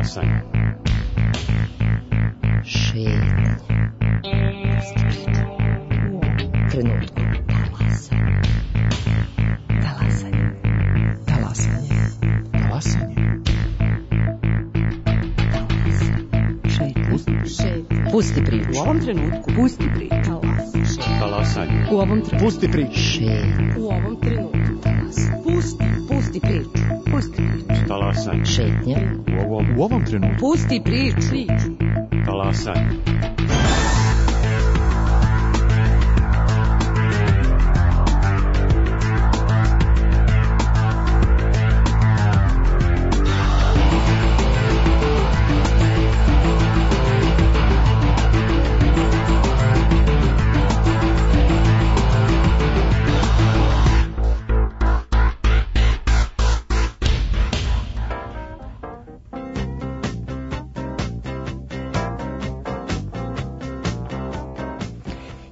Talasanje. Šetanje. Trenutku. Talasanje. Talasanje. Talasanje. Pusti priču. U ovom trenutku. Pusti priču. Talasanje. U ovom trenutku. Pusti priču. U ovom trenutku. Pusti priču. Pusti priču. Talasanje. Šetnja. U ovom trenutku. Pusti priču. Talasanje.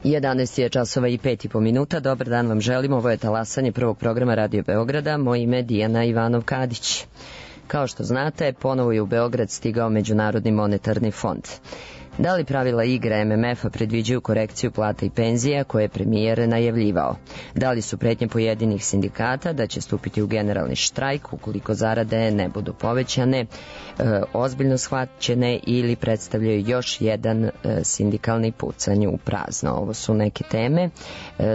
Jedanaest je časova i 5,5 minuta. Dobar dan vam želim. Ovo je Talasanje prvog programa Radio Beograda. Moje ime je Dijana Ivanov-Kadić. Kao što znate, ponovo je u Beograd stigao Međunarodni monetarni fond. Da li pravila igre MMF-a predviđaju korekciju plata i penzija koje je premijer najavljivao? Da li su pretnje pojedinih sindikata da će stupiti u generalni štrajk ukoliko zarade ne budu povećane, ozbiljno shvaćene ili predstavljaju još jedan sindikalni pucanj u prazno? Ovo su neke teme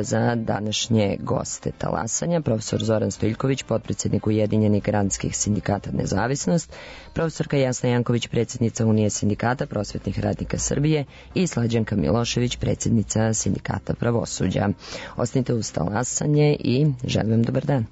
za današnje goste Talasanja. Profesor Zoran Stojiljković, potpredsjednik Ujedinjenih granskih sindikata Nezavisnost, profesorka Jasna Janković, predsjednica Unije sindikata prosvetnih radnika Srbije i Slađanka Milošević, predsjednica sindikata Pravosuđa. Ostanite uz Talasanje i želim vam dobar dan.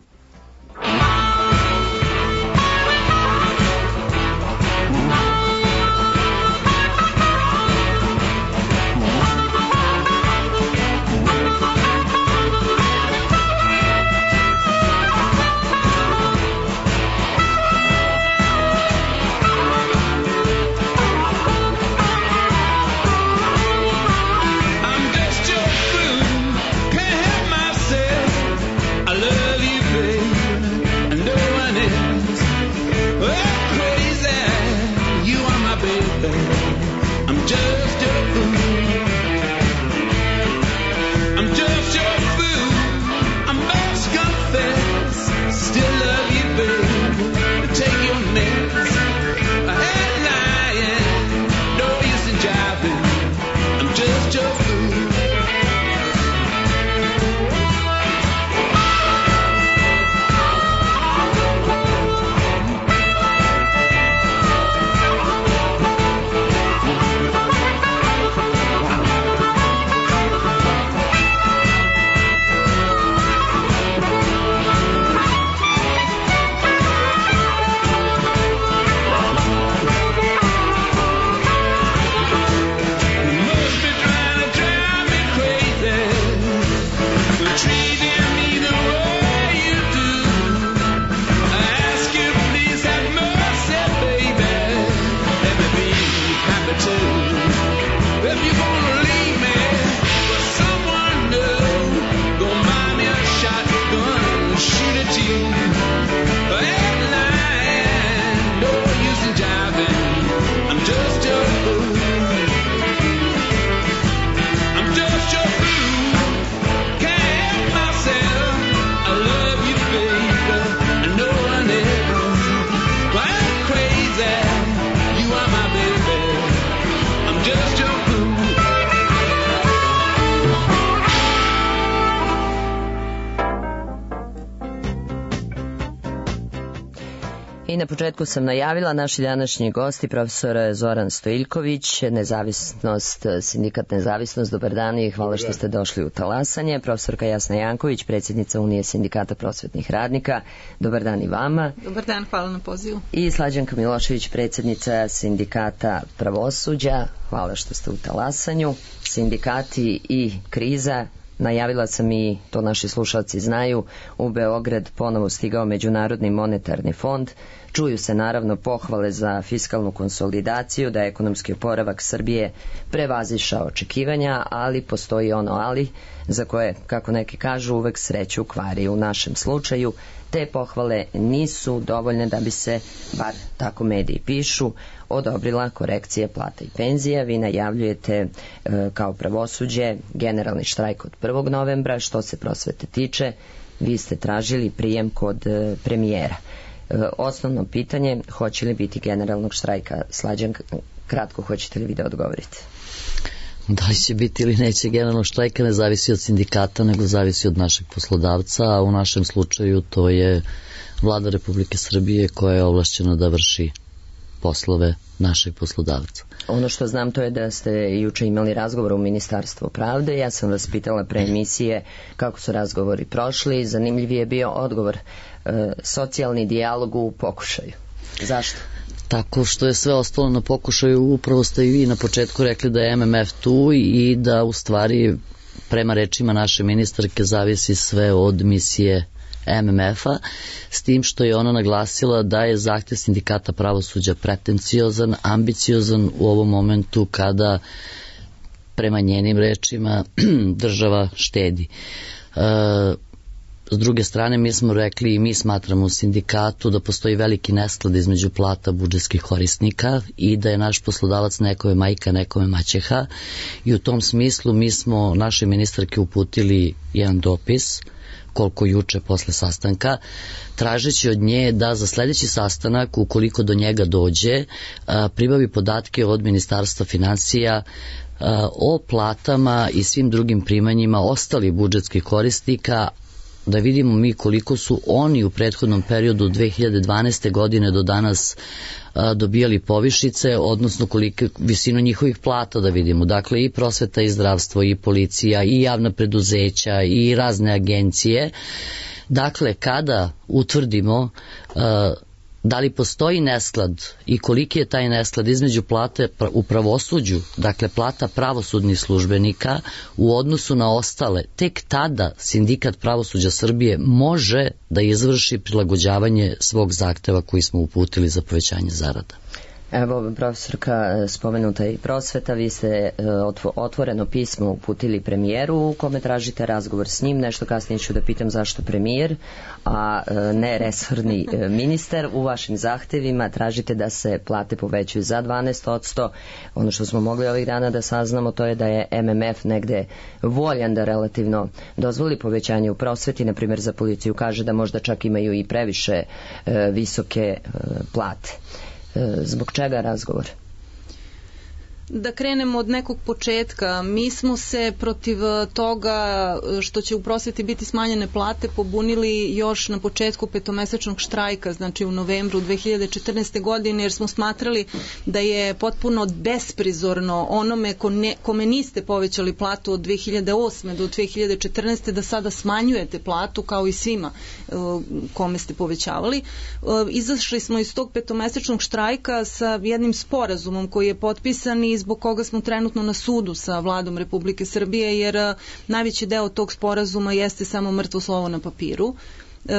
I na početku sam najavila naši današnji gosti, profesor Zoran Stojiljković, Nezavisnost, sindikat Nezavisnost. Dobar dan i hvala što ste došli u Talasanje. Profesorka Jasna Janković, predsjednica Unije sindikata prosvetnih radnika. Dobar dan i vama. Dobar dan, hvala na pozivu. I Slađanka Milošević, predsjednica sindikata Pravosuđa. Hvala što ste u Talasanju. Sindikati i kriza. Najavila sam i to naši slušalci znaju, u Beograd ponovo stigao Međunarodni monetarni fond. Čuju se naravno pohvale za fiskalnu konsolidaciju, da je ekonomski oporavak Srbije prevazišao očekivanja, ali postoji ono ali za koje, kako neki kažu, uvek sreću kvari. U našem slučaju Te pohvale nisu dovoljne da bi se, bar tako mediji pišu, odobrila korekcije plata i penzija. Vi najavljujete kao pravosuđe generalni štrajk od 1. novembra. Što se prosvete tiče, vi ste tražili prijem kod premijera. Osnovno pitanje, hoće li biti generalnog štrajka? Slađan, kratko, hoćete li vi da odgovorite? Da li će biti ili neće generalnog štrajka ne zavisi od sindikata, nego zavisi od našeg poslodavca, a u našem slučaju to je Vlada Republike Srbije koja je ovlašćena da vrši poslove našeg poslodavca. Ono što znam to je da ste juče imali razgovor u Ministarstvu pravde. Ja sam vas pitala pre emisije kako su razgovori prošli. Zanimljiv je bio odgovor, socijalni dijalog u pokušaju. Zašto? Tako što je sve ostalo na pokušaju, upravo ste i vi na početku rekli da je MMF tu i da u stvari prema rečima naše ministarke zavisi sve od misije MMF-a, s tim što je ona naglasila da je zahtev sindikata pravosuđa pretenciozan, ambiciozan u ovom momentu kada prema njenim rečima država štedi. S druge strane, mi smo rekli i mi smatramo u sindikatu da postoji veliki nesklad između plata budžetskih korisnika i da je naš poslodavac nekome majka, nekome maćeha, i u tom smislu mi smo naše ministarke uputili jedan dopis, koliko juče posle sastanka, tražeći od nje da za sledeći sastanak, ukoliko do njega dođe, pribavi podatke od Ministarstva finansija o platama i svim drugim primanjima ostalih budžetskih korisnika, da vidimo mi koliko su oni u prethodnom periodu 2012. godine do danas dobijali povišice, odnosno koliko visinu njihovih plata da vidimo. Dakle, i prosveta i zdravstvo, i policija, i javna preduzeća, i razne agencije. Dakle, kada utvrdimo da li postoji nesklad i koliki je taj nesklad između plate u pravosuđu, dakle plata pravosudnih službenika u odnosu na ostale, tek tada Sindikat pravosuđa Srbije može da izvrši prilagođavanje svog zahteva koji smo uputili za povećanje zarada. Evo, profesorka, spomenuta i prosveta, vi ste otvoreno pismo uputili premijeru u kome tražite razgovor s njim. Nešto kasnije ću da pitam zašto premijer, a ne resorni ministar. U vašim zahtevima tražite da se plate povećuju za 12%. Ono što smo mogli ovih dana da saznamo to je da je MMF negde voljan da relativno dozvoli povećanje u prosveti, na primjer za policiju kaže da možda čak imaju i previše visoke plate. Zbog čega razgovor? Da krenemo od nekog početka. Mi smo se protiv toga što će u prosveti biti smanjene plate pobunili još na početku petomesečnog štrajka, znači u novembru 2014. godine, jer smo smatrali da je potpuno besprizorno onome kome niste povećali platu od 2008. do 2014. da sada smanjujete platu kao i svima kome ste povećavali. Izašli smo iz tog petomesečnog štrajka sa jednim sporazumom koji je potpisan i zbog koga smo trenutno na sudu sa Vladom Republike Srbije, jer najveći deo tog sporazuma jeste samo mrtvo slovo na papiru.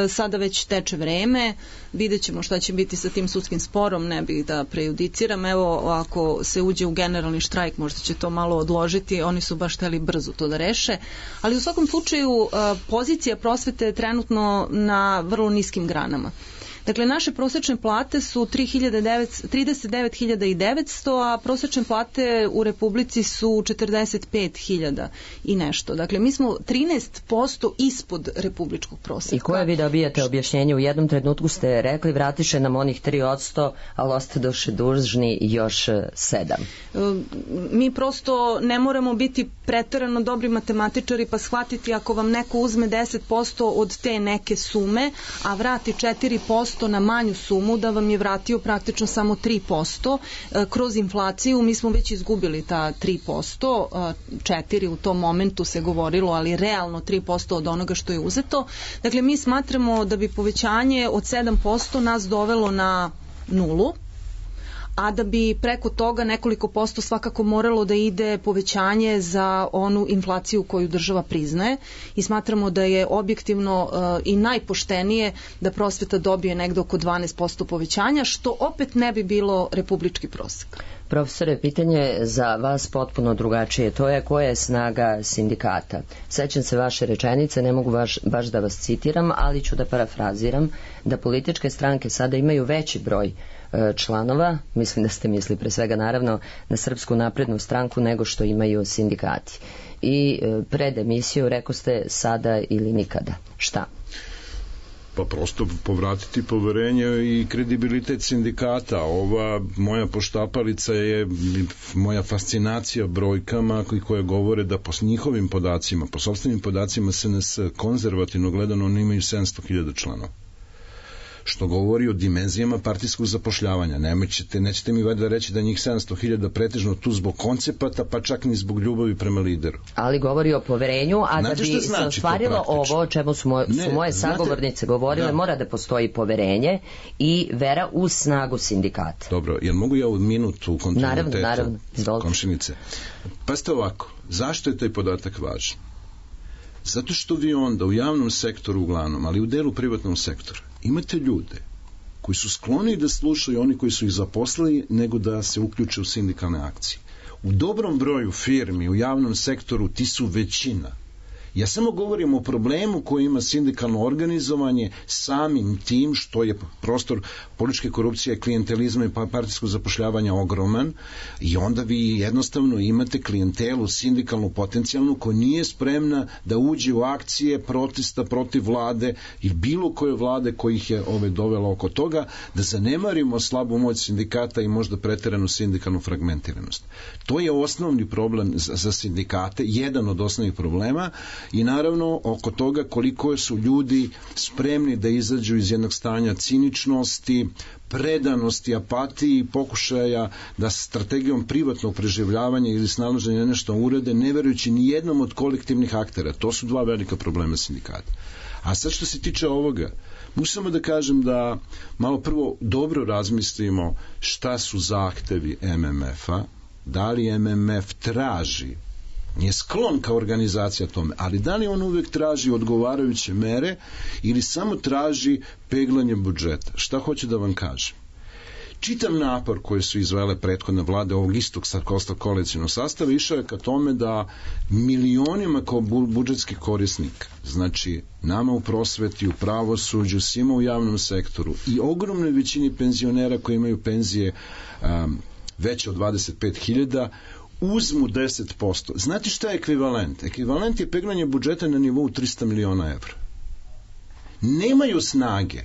Sada već teče vreme, vidjet ćemo šta će biti sa tim sudskim sporom, ne bih da prejudiciram. Evo, ako se uđe u generalni štrajk, možda će to malo odložiti, oni su baš hteli brzo to da reše, ali u svakom slučaju pozicija prosvete je trenutno na vrlo niskim granama. Dakle, naše prosečne plate su 39.900, a prosečne plate u Republici su 45.000 i nešto. Dakle, mi smo 13% ispod republičkog proseka. I koje vi dobijate objašnjenje? U jednom trenutku ste rekli vratiše nam onih 3%, ali ostadoše dužni još 7%. Mi prosto ne moramo biti preterano dobri matematičari pa shvatiti ako vam neko uzme 10% od te neke sume, a vrati 4% na manju sumu, da vam je vratio praktično samo 3%. Kroz inflaciju mi smo već izgubili ta 3%, 4% u tom momentu se govorilo, ali realno 3% od onoga što je uzeto. Dakle, mi smatramo da bi povećanje od 7% nas dovelo na 0%, a da bi preko toga nekoliko posto svakako moralo da ide povećanje za onu inflaciju koju država priznaje, i smatramo da je objektivno i najpoštenije da prosveta dobije negde oko 12% povećanja, što opet ne bi bilo republički prosek. Profesore, pitanje za vas potpuno drugačije. To je koja je snaga sindikata. Sećam se vaše rečenice, ne mogu baš da vas citiram, ali ću da parafraziram, da političke stranke sada imaju veći broj članova, mislim da ste mislili pre svega naravno na Srpsku naprednu stranku, nego što imaju sindikati. I pred emisiju rekao ste sada ili nikada. Šta? Pa prosto povratiti poverenje i kredibilitet sindikata. Ova moja poštapalica je moja fascinacija brojkama koje govore da po njihovim podacima, po sopstvenim podacima SNS konzervativno gledano oni imaju 700.000 članova. Što govori o dimenzijama partijskog zapošljavanja. Nećete mi valjda reći da njih 700.000 pretežno tu zbog koncepata, pa čak ni zbog ljubavi prema lideru. Ali govori o poverenju, a da bi se ostvarilo ovo o čemu su moje sagovornice govorile, mora da postoji poverenje i vera u snagu sindikata. Dobro, jel mogu ja u minutu u kontinuitetu? Naravno, izvolite. Komšinice. Pazite ovako, zašto je taj podatak važan? Zato što vi onda u javnom sektoru uglavnom, ali u delu privatnog sektora, imate ljude koji su skloni da slušaju oni koji su ih zaposlili nego da se uključe u sindikalne akcije. U dobrom broju firmi u javnom sektoru ti su većina. Ja samo govorim o problemu koji ima sindikalno organizovanje samim tim što je prostor političke korupcije, klijentelizma i partijskog zapošljavanja ogroman i onda vi jednostavno imate klijentelu sindikalnu potencijalnu koja nije spremna da uđe u akcije protesta protiv vlade ili bilo koje vlade koji ih je dovela oko toga, da zanemarimo slabu moć sindikata i možda preteranu sindikalnu fragmentiranost. To je osnovni problem za sindikate, jedan od osnovnih problema. I naravno oko toga koliko su ljudi spremni da izađu iz jednog stanja ciničnosti, predanosti, apatiji i pokušaja da strategijom privatnog preživljavanja ili snalaženja nešto urede, ne verujući ni jednom od kolektivnih aktera. To su dva velika problema sindikata. A sad što se tiče ovoga, mogu samo da kažem da malo prvo dobro razmislimo šta su zahtevi MMF-a, da li MMF traži, nije sklon kao organizacija tome, ali da li on uvek traži odgovarajuće mere ili samo traži peglanje budžeta? Šta hoću da vam kažem? Čitav napor koje su izvele prethodne vlade ovog istog koalicionog sastava išao je ka tome da milionima kao budžetskih korisnika, znači nama u prosveti, u pravosuđu, svima u javnom sektoru i ogromnoj većini penzionera koji imaju penzije veće od 25.000, uzmu 10%. Znate šta je ekvivalent? Ekvivalent je peglanje budžeta na nivou 300 miliona evra. Nemaju snage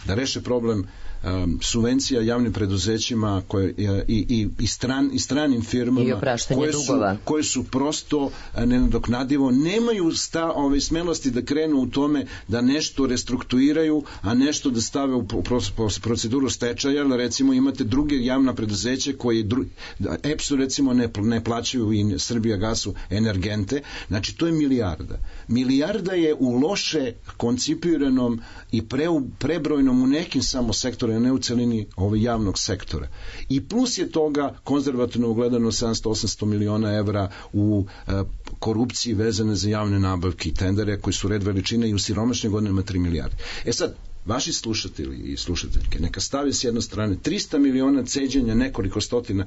da reše problem subvencija javnim preduzećima i stranim firmama koje su prosto nenadoknadivo, nemaju smelosti da krenu u tome da nešto restrukturiraju, a nešto da stave u proceduru stečaja, jer recimo imate druge javna preduzeće koje EPS-u recimo ne plaćaju i Srbijagasu energente, znači to je milijarda. Milijarda je u loše koncipiranom i prebrojnom u nekim samo sektorima, ne u celini javnog sektora. I plus je toga konzervativno gledano 700-800 miliona evra u korupciji vezane za javne nabavke i tendere koji su red veličine i u siromašnim godinama 3 milijarde. E sad, vaši slušatelji i slušateljke neka stavi s jedne strane 300 miliona ceđenja nekoliko stotina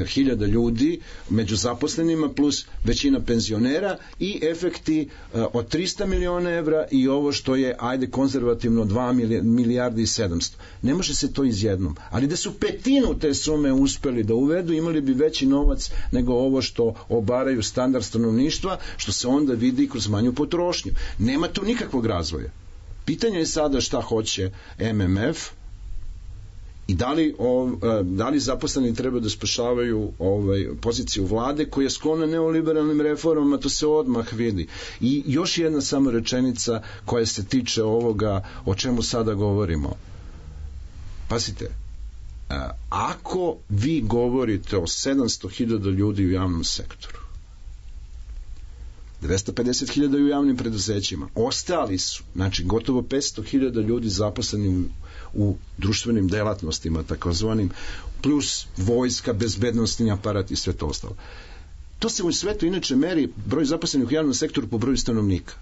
hiljada ljudi među zaposlenima plus većina penzionera i efekti od 300 miliona evra i ovo što je, ajde konzervativno 2 milijardi i 700. Ne može se to izjednom. Ali da su petinu te sume uspeli da uvedu, imali bi veći novac nego ovo što obaraju standard stanovništva, što se onda vidi kroz manju potrošnju. Nema tu nikakvog razvoja. Pitanje je sada šta hoće MMF i da li zaposleni treba da spašavaju poziciju vlade koja je sklona neoliberalnim reformama, to se odmah vidi. I još jedna samo rečenica koja se tiče ovoga o čemu sada govorimo. Pazite, ako vi govorite o 700.000 ljudi u javnom sektoru, 250.000 u javnim preduzećima. Ostali su, znači gotovo 500.000 ljudi zaposleni u društvenim delatnostima, takozvanim, plus vojska, bezbednostni aparat i sve to ostalo. To se u svetu inače meri broj zaposlenih u javnom sektoru po broju stanovnika.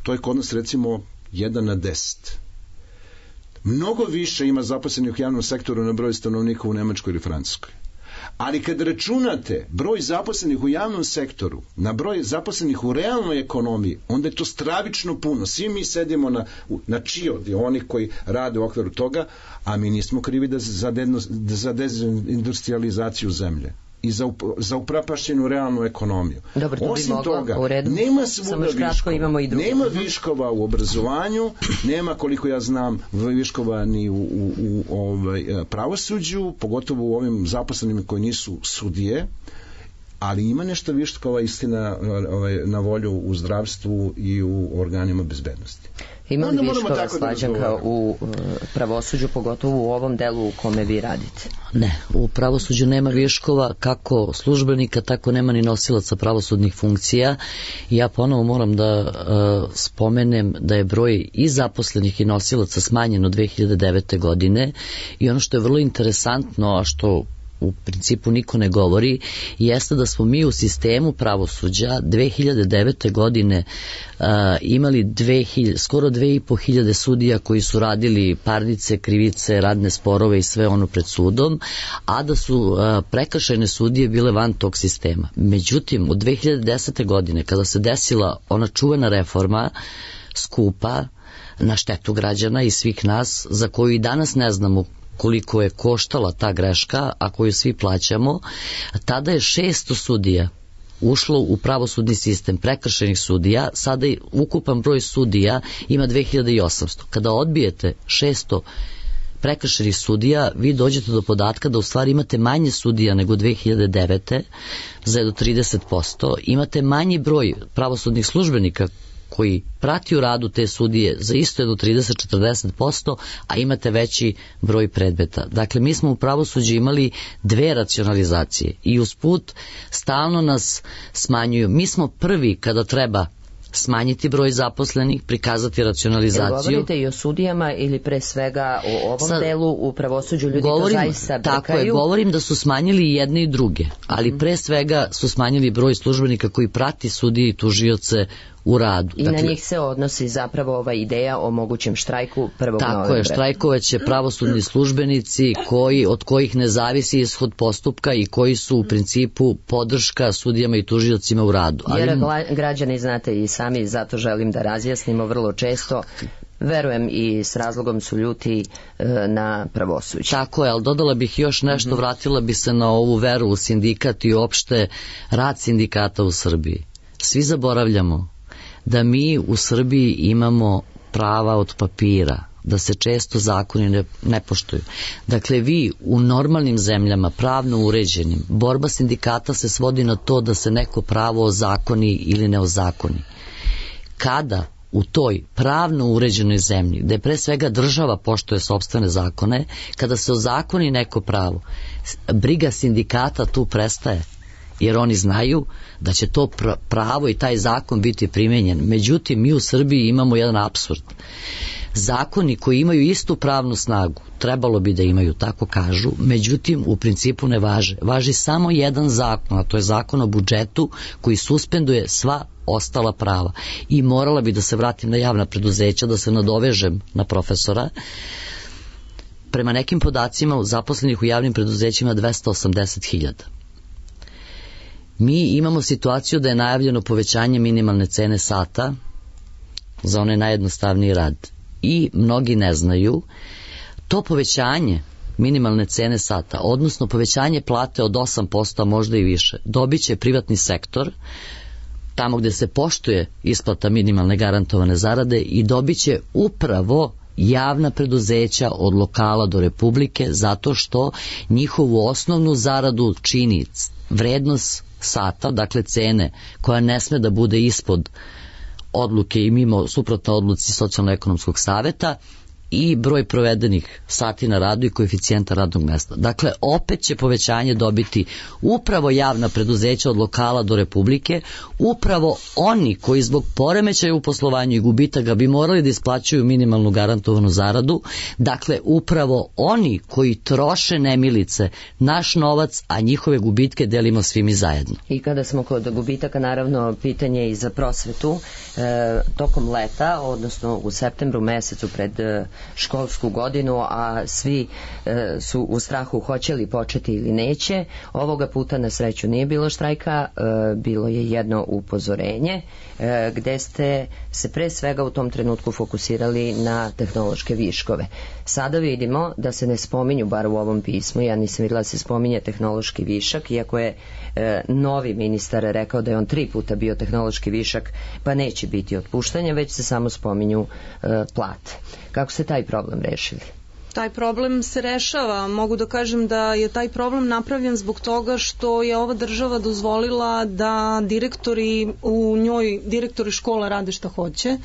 To je kod nas recimo 1 na 10. Mnogo više ima zaposlenih u javnom sektoru na broj stanovnika u Nemačkoj ili Francuskoj. Ali kad računate broj zaposlenih u javnom sektoru na broj zaposlenih u realnoj ekonomiji, onda je to stravično puno. Svi mi sedimo na čiodi, oni koji rade u okviru toga, a mi nismo krivi za dezindustrializaciju zemlje i za upropašćenu realnu ekonomiju. Dobro, to osim bi moglo, toga, u redu. nema svuda viškova. Nema viškova u obrazovanju, nema, koliko ja znam, viškova ni u pravosuđu, pogotovo u ovim zaposlenima koji nisu sudije, ali ima nešto viškova, istina, na volju u zdravstvu i u organima bezbednosti. Ima li viškova, Slađanka, u pravosuđu, pogotovo u ovom delu u kome vi radite? Ne, u pravosuđu nema viškova kako službenika, tako nema ni nosilaca pravosudnih funkcija. Ja ponovo moram da spomenem da je broj i zaposlenih i nosilaca smanjen od 2009. godine i ono što je vrlo interesantno, a što u principu niko ne govori, jeste da smo mi u sistemu pravosuđa 2009. godine imali skoro 2500 sudija koji su radili parnice, krivice, radne sporove i sve ono pred sudom, a da su prekršajne sudije bile van tog sistema. Međutim, od 2010. godine, kada se desila ona čuvena reforma, skupa, na štetu građana i svih nas, za koju i danas ne znamo koliko je koštala ta greška, a koju svi plaćamo, tada je 600 sudija ušlo u pravosudni sistem prekršajnih sudija, sada je ukupan broj sudija ima 2800. Kada odbijete 600 prekršajnih sudija, vi dođete do podatka da u stvari imate manje sudija nego 2009. za jedno 30%, imate manji broj pravosudnih službenika koji prati u radu te sudije za isto jedno 30-40%, a imate veći broj predmeta. Dakle, mi smo u pravosuđu imali dve racionalizacije i usput stalno nas smanjuju. Mi smo prvi kada treba smanjiti broj zaposlenih, prikazati racionalizaciju. Jel govorite i o sudijama ili pre svega o ovom delu u pravosuđu ljudi to zaista brkaju? Tako je, govorim da su smanjili i jedne i druge, ali pre svega su smanjili broj službenika koji prati sudije i tužioce u radu. I dakle, na njih se odnosi zapravo ova ideja o mogućem štrajku 1. novembra. Tako je, štrajkovaće pravosudni službenici od kojih ne zavisi ishod postupka i koji su u principu podrška sudijama i tužiocima u radu. Jer građani, znate i sami, zato želim da razjasnimo vrlo često, verujem i s razlogom su ljuti na pravosuđe. Tako je, ali dodala bih još nešto, vratila bi se na ovu veru u sindikat i uopšte rad sindikata u Srbiji. Svi zaboravljamo da mi u Srbiji imamo prava od papira, da se često zakoni ne poštuju. Dakle, vi u normalnim zemljama, pravno uređenim, borba sindikata se svodi na to da se neko pravo ozakoni ili ne ozakoni. Kada u toj pravno uređenoj zemlji, gde pre svega država poštuje sopstvene zakone, kada se ozakoni neko pravo, briga sindikata tu prestaje, jer oni znaju da će to pravo i taj zakon biti primenjen. Međutim, mi u Srbiji imamo jedan apsurd. Zakoni koji imaju istu pravnu snagu, trebalo bi da imaju, tako kažu, međutim, u principu ne važe. Važi samo jedan zakon, a to je zakon o budžetu koji suspenduje sva ostala prava. I morala bi da se vratim na javna preduzeća, da se nadovežem na profesora. Prema nekim podacima zaposlenih u javnim preduzećima 280.000. Mi imamo situaciju da je najavljeno povećanje minimalne cene sata za onaj najjednostavniji rad. I mnogi ne znaju, to povećanje minimalne cene sata, odnosno povećanje plate od 8%, a možda i više, dobit će privatni sektor, tamo gde se poštuje isplata minimalne garantovane zarade, i dobit će upravo javna preduzeća od lokala do republike, zato što njihovu osnovnu zaradu čini vrednost sata, dakle cene, koja ne sme da bude ispod odluke i mimo suprotno odluci Socijalno-ekonomskog saveta, i broj provedenih sati na radu i koeficijenta radnog mesta. Dakle, opet će povećanje dobiti upravo javna preduzeća od lokala do republike, upravo oni koji zbog poremećaja u poslovanju i gubitaka bi morali da isplaćuju minimalnu garantovanu zaradu, dakle, upravo oni koji troše nemilice naš novac, a njihove gubitke delimo svi mi zajedno. I kada smo kod gubitaka, naravno, pitanje i za prosvetu, tokom leta, odnosno u septembru mesecu pred školsku godinu, a svi su u strahu hoće li početi ili neće. Ovoga puta na sreću nije bilo štrajka, bilo je jedno upozorenje gde ste se pre svega u tom trenutku fokusirali na tehnološke viškove. Sada vidimo da se ne spominju, bar u ovom pismu, ja nisam videla da se spominje tehnološki višak, iako je novi ministar rekao da je on 3 puta bio tehnološki višak, pa neće biti otpuštanja, već se samo spominju plate. Kako ste taj problem rešili? Taj problem se rešava. Mogu da kažem da je taj problem napravljen zbog toga što je ova država dozvolila da direktori škola rade šta hoće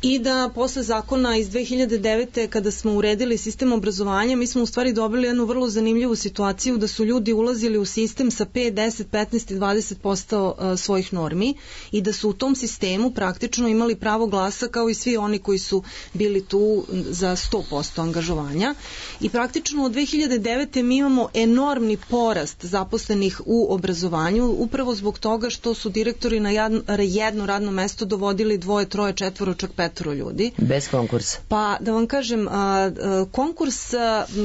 i da posle zakona iz 2009. kada smo uredili sistem obrazovanja, mi smo u stvari dobili jednu vrlo zanimljivu situaciju da su ljudi ulazili u sistem sa 5, 10, 15 i 20% svojih normi i da su u tom sistemu praktično imali pravo glasa kao i svi oni koji su bili tu za 100% angažovanja. I praktično od 2009. mi imamo enormni porast zaposlenih u obrazovanju upravo zbog toga što su direktori na jedno radno mesto dovodili 2, 3, 4, čak 5 ljudi. Bez konkursa. Pa da vam kažem,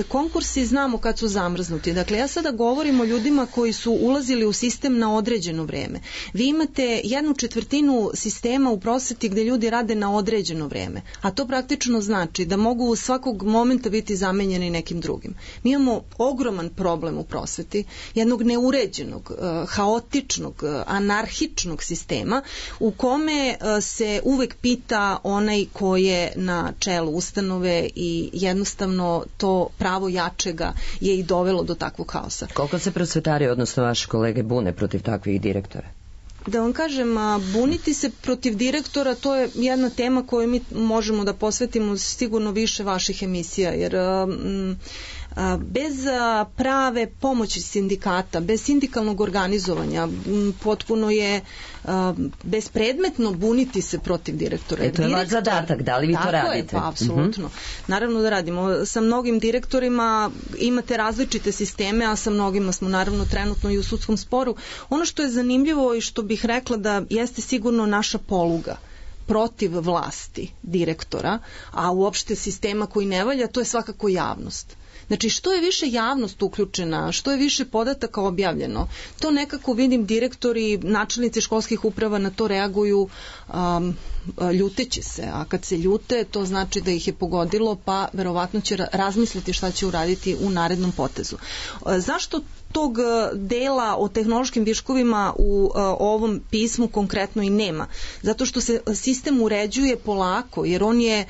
konkursi znamo kad su zamrznuti. Dakle, ja sada govorim o ljudima koji su ulazili u sistem na određeno vreme. Vi imate 1/4 sistema u prosveti gde ljudi rade na određeno vreme, a to praktično znači da mogu svakog momenta biti zamenjeni nekim drugim. Mi imamo ogroman problem u prosveti, jednog neuređenog, haotičnog, anarhičnog sistema u kome se uvek pita onaj ko je na čelu ustanove i jednostavno to pravo jačega je i dovelo do takvog haosa. Koliko se prosvetari, odnosno vaše kolege, bune protiv takvih direktora? Da vam kažem, buniti se protiv direktora, to je jedna tema koju mi možemo da posvetimo sigurno više vaših emisija, jer bez prave pomoći sindikata, bez sindikalnog organizovanja, potpuno je bespredmetno buniti se protiv direktora. To je vaš zadatak, da li vi to radite? Tako je, pa apsolutno. Naravno da radimo. Sa mnogim direktorima imate različite sisteme, a sa mnogima smo naravno trenutno i u sudskom sporu. Ono što je zanimljivo i što bih rekla da jeste sigurno naša poluga protiv vlasti direktora, a uopšte sistema koji ne valja, to je svakako javnost. Znači, što je više javnost uključena, što je više podataka objavljeno, to nekako vidim direktori, načelnici školskih uprava na to reaguju ljuteći se, a kad se ljute, to znači da ih je pogodilo, pa verovatno će razmisliti šta će uraditi u narednom potezu. Zašto tog dela o tehnološkim viškovima u ovom pismu konkretno i nema? Zato što se sistem uređuje polako, jer on je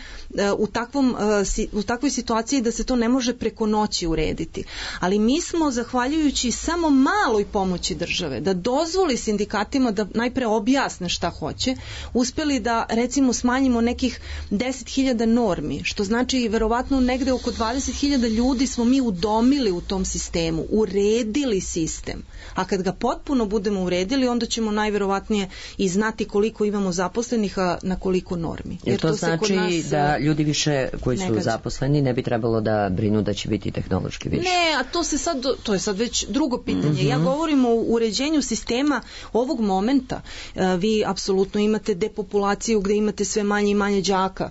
u takvoj situaciji da se to ne može preko noći urediti. Ali mi smo, zahvaljujući samo maloj pomoći države, da dozvoli sindikatima da najpre objasne šta hoće, uspeli da recimo smanjimo nekih 10.000 normi, što znači verovatno negde oko 20.000 ljudi smo mi udomili u tom sistemu, uredili sistem. A kad ga potpuno budemo uredili, onda ćemo najverovatnije i znati koliko imamo zaposlenih, a na koliko normi. Jer to znači da ljudi više koji su zaposleni ne bi trebalo da brinu da će biti tehnološki više. Ne, a to je sad već drugo pitanje. Ja govorim o uređenju sistema ovog momenta. Vi apsolutno imate depopulaciju gde imate sve manje i manje đaka.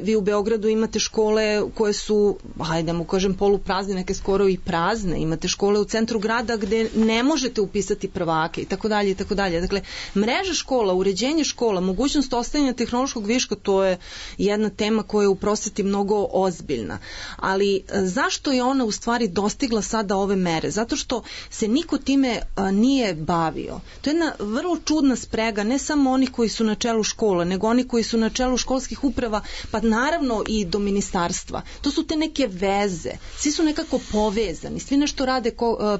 Vi u Beogradu imate škole koje su, hajde mu kažem, poluprazne, neke skoro i prazne. Imate škole u centru grada gde ne možete upisati prvake i tako dalje i tako dalje. Dakle, mreža škola, uređenje škola, mogućnost ostajanja tehnološkog viška, to je jedna tema koja je u prosveti mnogo ozbiljna. Ali zašto je ona u stvari dostigla sada ove mere? Zato što se niko time nije bavio. To je jedna vrlo čudna sprega, ne samo oni koji su na čelu škola, nego oni koji su na čelu školskih uprava, pa naravno i do ministarstva. To su te neke veze. Svi su nekako povezani. Svi nešto rade,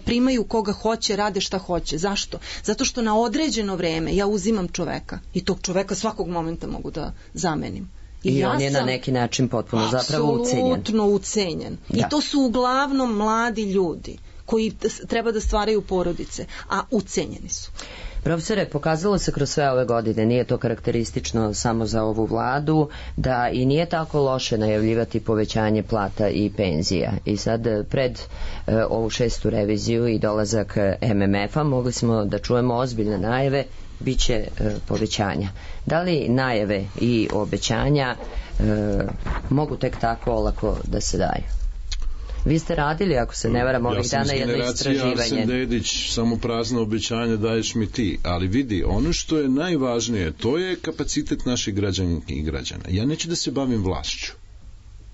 primaju koga hoće, rade šta hoće. Zašto? Zato što na određeno vreme ja uzimam čoveka i tog čoveka svakog momenta mogu da zamenim. I on je na neki način potpuno zapravo ucenjen. Apsolutno ucenjen. Da. I to su uglavnom mladi ljudi koji treba da stvaraju porodice, a ucenjeni su. Profesore, pokazalo se kroz sve ove godine, nije to karakteristično samo za ovu vladu, da i nije tako loše najavljivati povećanje plata i penzija. I sad pred ovu 6. reviziju i dolazak MMF-a mogli smo da čujemo ozbiljne najave biće povećanja. Da li najave i obećanja mogu tek tako olako da se daju? Vi ste radili, ako se ne varam, ovih dana jedno istraživanje. Ja sam iz generacije Arsen Dedić, samo prazno obećanje daješ mi ti. Ali vidi, ono što je najvažnije, to je kapacitet naših građanki i građana. Ja neću da se bavim vlašću.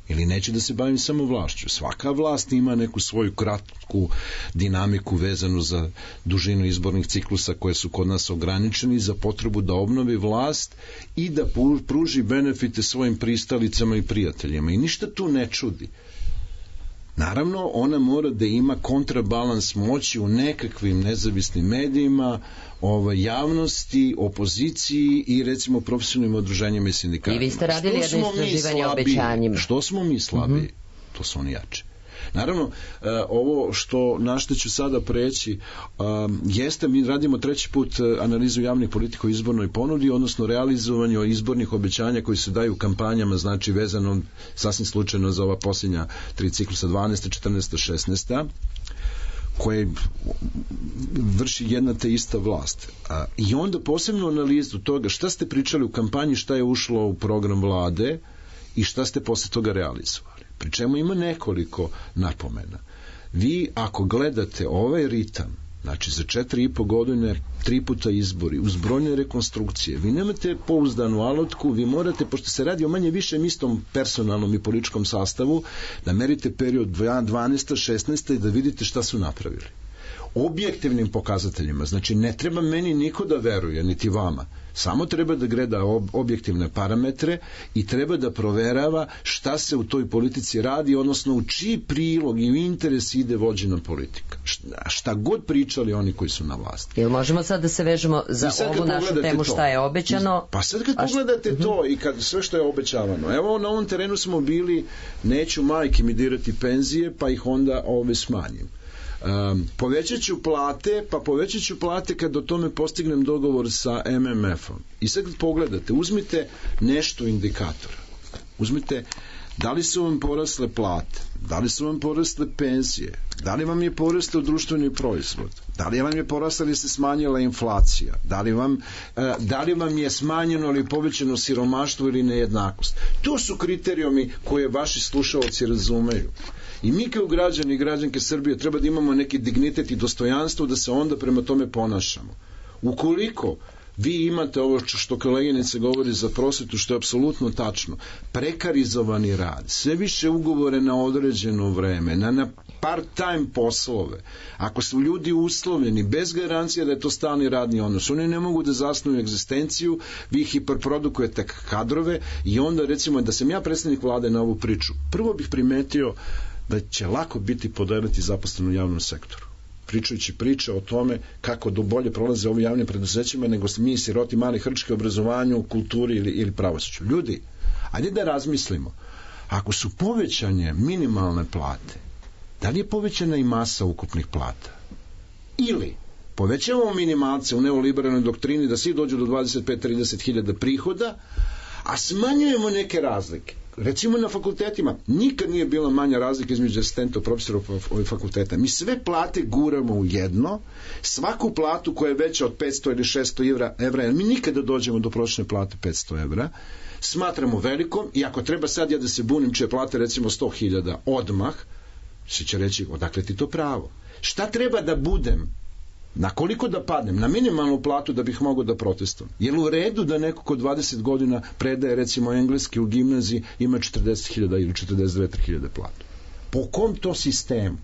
Ili neću da se bavim samo vlašću. Svaka vlast ima neku svoju kratku dinamiku vezanu za dužinu izbornih ciklusa koje su kod nas ograničeni za potrebu da obnovi vlast i da pruži benefite svojim pristalicama i prijateljima. I ništa tu ne čudi. Naravno, ona mora da ima kontrabalans moći u nekakvim nezavisnim medijima, javnosti, opoziciji i recimo profesionalnim udruženjima i sindikatima. I vi ste radili jedno istraživanje o obećanjima. Što smo mi slabiji, to su oni jači. Naravno, ovo na što ću sada preći jeste, mi radimo treći put analizu javnih politika o izbornoj ponudi, odnosno realizovanju izbornih obećanja koji se daju u kampanjama, znači vezano sasvim slučajno za ova posljednja 3 ciklusa, 12. 14. 16. koje vrši jedna te ista vlast. I onda posebno analizu toga šta ste pričali u kampanji, šta je ušlo u program vlade i šta ste posle toga realizovali. Pri čemu ima nekoliko napomena. Vi ako gledate ovaj ritam, znači za 4,5 godine 3 puta izbori, uz brojne rekonstrukcije, vi nemate pouzdanu alotku, vi morate, pošto se radi o manje više istom personalnom i političkom sastavu, da merite period 12. 16. i da vidite šta su napravili. Objektivnim pokazateljima, znači ne treba meni niko da veruje, niti vama, samo treba da gleda objektivne parametre i treba da proverava šta se u toj politici radi, odnosno u čiji prilog i u interes ide vođena politika. Šta god pričali oni koji su na vlasti. Jel možemo sad da se vežemo za ovu našu temu šta je obećano? Pa sad kad pogledate to i kad sve što je obećavano, evo na ovom terenu smo bili, neću majke mi dirati penzije, pa ih onda smanjim. Povećat ću plate kad o tome postignem dogovor sa MMF-om. I sad kad pogledate, uzmite nešto indikatora, uzmite da li su vam porasle plate, da li su vam porasle penzije, da li vam je porastao društveni proizvod, da li vam je porasla ili se smanjila inflacija, da li vam je smanjeno ili povećano siromaštvo ili nejednakost. To su kriterijumi koje vaši slušalci razumeju. I mi kao građani i građanke Srbije treba da imamo neki dignitet i dostojanstvo da se onda prema tome ponašamo. Ukoliko vi imate ovo što koleginica govori za prosvetu, što je apsolutno tačno, prekarizovani rad, sve više ugovore na određeno vreme, na part-time poslove, ako su ljudi uslovljeni bez garancije da je to stalni radni odnos, oni ne mogu da zasnuju egzistenciju, vi hiperprodukujete kadrove i onda recimo da sam ja predstavnik vlade na ovu priču, prvo bih primetio da će lako biti podeliti zaposleno u javnom sektoru. Pričajući priče o tome kako do bolje prolaze ovi javnim preduzećima nego mi siroti mali hrčki obrazovanju, kulturi ili pravosuđu. Ljudi, ajde da razmislimo. Ako su povećanje minimalne plate, da li je povećana i masa ukupnih plata? Ili povećavamo minimalce u neoliberalnoj doktrini da svi dođu do 25-30 hiljada prihoda, a smanjujemo neke razlike. Recimo na fakultetima nikad nije bila manja razlika između asistenta profesora ovih fakulteta. Mi sve plate guramo u jedno, svaku platu koja je veća od 500 ili 600 evra, jer mi nikada dođemo do prosječne plate 500 evra, smatramo velikom i ako treba sad ja da se bunim čije plate recimo 100.000 odmah, se će reći odakle ti to pravo. Šta treba da budem? Na koliko da padnem? Na minimalnu platu da bih mogao da protestujem. Je li u redu da neko ko 20 godina predaje recimo engleski u gimnaziji ima 40.000 ili 42.000 platu? Po kom to sistemu?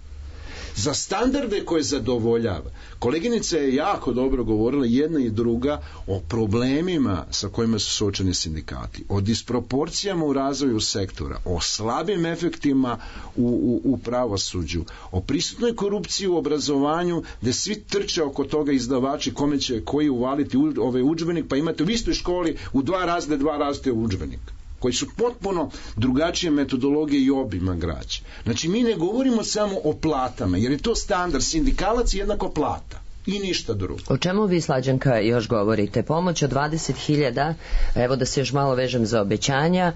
Za standarde koje zadovoljava. Koleginica je jako dobro govorila, jedna i druga, o problemima sa kojima su suočeni sindikati, o disproporcijama u razvoju sektora, o slabim efektima u pravosuđu, o prisutnoj korupciji u obrazovanju, gde svi trče oko toga izdavači kome će koji uvaliti ovaj udžbenik, pa imate u istoj školi u dva različite udžbenika koji su potpuno drugačije metodologije i obima građe. Znači, mi ne govorimo samo o platama, jer je to standard, sindikalac je jednako plata. I ništa drugo. O čemu vi, Slađanka, još govorite? Pomoć od 20.000, evo da se još malo vežem za obećanja,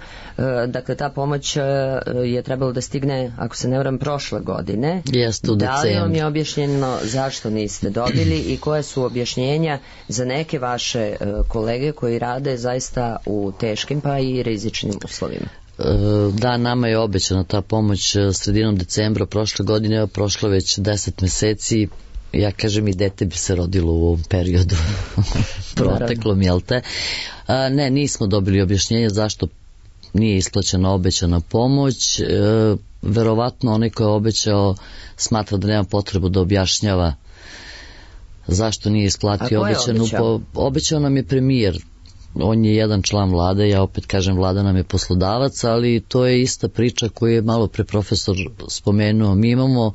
dakle ta pomoć je trebalo da stigne, ako se ne varam, prošle godine. Jeste, u decembru. Da li vam je objašnjeno zašto niste dobili i koje su objašnjenja za neke vaše kolege koji rade zaista u teškim pa i rizičnim uslovima? Da, nama je obećana ta pomoć sredinom decembra prošle godine, prošlo već 10 meseci. Ja kažem, i dete bi se rodilo u ovom periodu proteklom, jel te? Ne, nismo dobili objašnjenje zašto nije isplaćena obećana pomoć. Verovatno onaj ko je obećao smatra da nema potrebu da objašnjava zašto nije isplatio obećanu. Obećao nam je premijer. On je jedan član vlade, ja opet kažem vlada nam je poslodavac, ali to je ista priča koju je malo pre profesor spomenuo. Mi imamo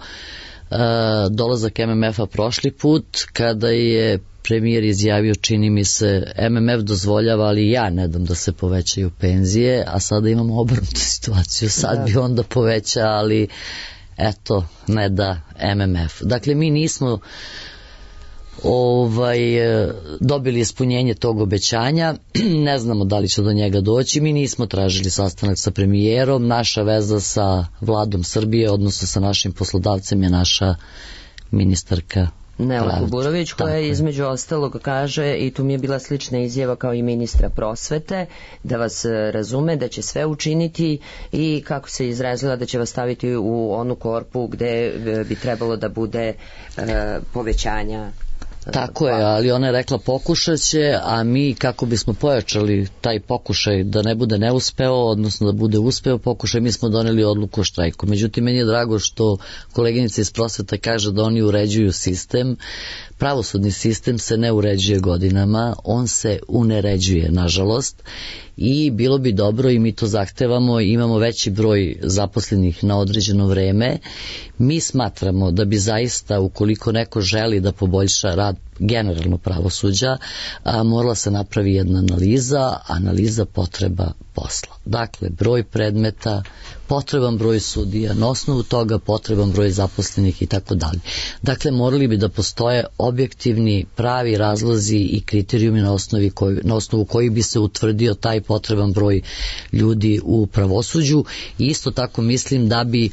dolazak MMF-a prošli put kada je premijer izjavio, čini mi se, MMF dozvoljava, ali ja ne dam da se povećaju penzije, a sada imamo obrnutu situaciju, sad bi onda poveća, ali eto, ne da MMF. Dakle, mi nismo dobili ispunjenje tog obećanja, ne znamo da li će do njega doći, mi nismo tražili sastanak sa premijerom, naša veza sa vladom Srbije, odnosno sa našim poslodavcem je naša ministarka Nela Kuburović, koja između ostalog kaže, i tu mi je bila slična izjava kao i ministra prosvete, da vas razume, da će sve učiniti i kako se izrazila da će vas staviti u onu korpu gde bi trebalo da bude povećanja. Tako je, ali ona je rekla pokušat će, a mi kako bismo pojačali taj pokušaj da ne bude neuspeo, odnosno da bude uspeo pokušaj, mi smo doneli odluku o štrajku. Međutim, meni je drago što koleginica iz prosveta kaže da oni uređuju sistem. Pravosudni sistem se ne uređuje godinama, on se uneređuje, nažalost, i bilo bi dobro, i mi to zahtevamo, imamo veći broj zaposlenih na određeno vreme. Mi smatramo da bi zaista, ukoliko neko želi da poboljša rad generalno pravosuđa, morala se napravi jedna analiza potreba posla. Dakle, broj predmeta, potreban broj sudija, na osnovu toga potreban broj zaposlenih i tako dalje. Dakle, morali bi da postoje objektivni, pravi razlozi i kriterijumi na osnovu koji bi se utvrdio taj potreban broj ljudi u pravosuđu. I isto tako mislim da bi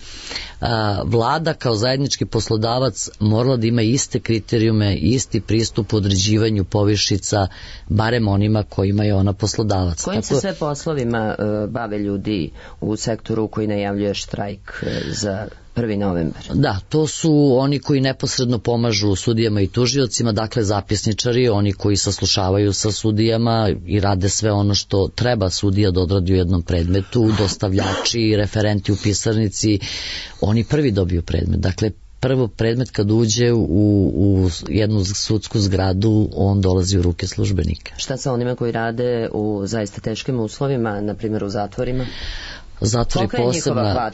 vlada kao zajednički poslodavac morala da ima iste kriterijume, isti pristup u određivanju povišica, barem onima kojima je ona poslodavac. Kojim se sve poslovima bave ljudi u sektoru koji najavljuje štrajk za 1. novembar? Da, to su oni koji neposredno pomažu sudijama i tužiocima, dakle zapisničari, oni koji saslušavaju sa sudijama i rade sve ono što treba sudija da odradi u jednom predmetu, dostavljači, referenti u pisarnici, oni prvi dobiju predmet. Dakle, prvo predmet kad uđe u jednu sudsku zgradu, on dolazi u ruke službenika. Šta sa onima koji rade u zaista teškim uslovima, na primjer u zatvorima? Zatvor je posebna.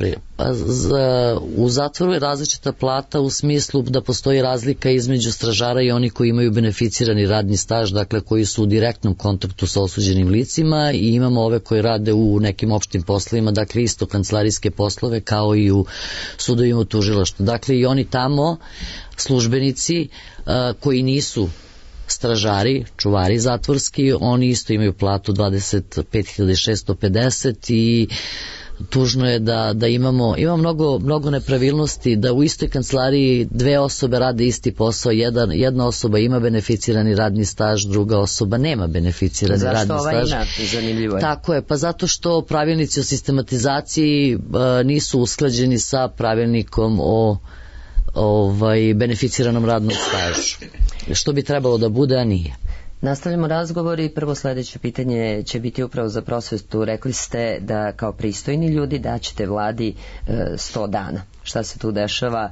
U zatvoru je različita plata u smislu da postoji razlika između stražara i oni koji imaju beneficirani radni staž, dakle koji su u direktnom kontaktu sa osuđenim licima, i imamo ove koji rade u nekim opštim poslovima, dakle isto kancelarijske poslove kao i u sudovima u tužilaštvu. Dakle i oni tamo službenici koji nisu stražari, čuvari zatvorski, oni isto imaju platu 25.650 i tužno je da ima mnogo nepravilnosti, da u istoj kancelariji dve osobe rade isti posao, jedna osoba ima beneficirani radni staž, druga osoba nema beneficirani radni staž. Zašto ova ima? Zanimljivo je. Tako je, pa zato što pravilnici o sistematizaciji nisu usklađeni sa pravilnikom o beneficiranom radnom stažu, što bi trebalo da bude, a nije. Nastavljamo razgovor i prvo sledeće pitanje će biti upravo za prosvetu. Rekli ste da kao pristojni ljudi daćete vladi 100 dana. Šta se tu dešava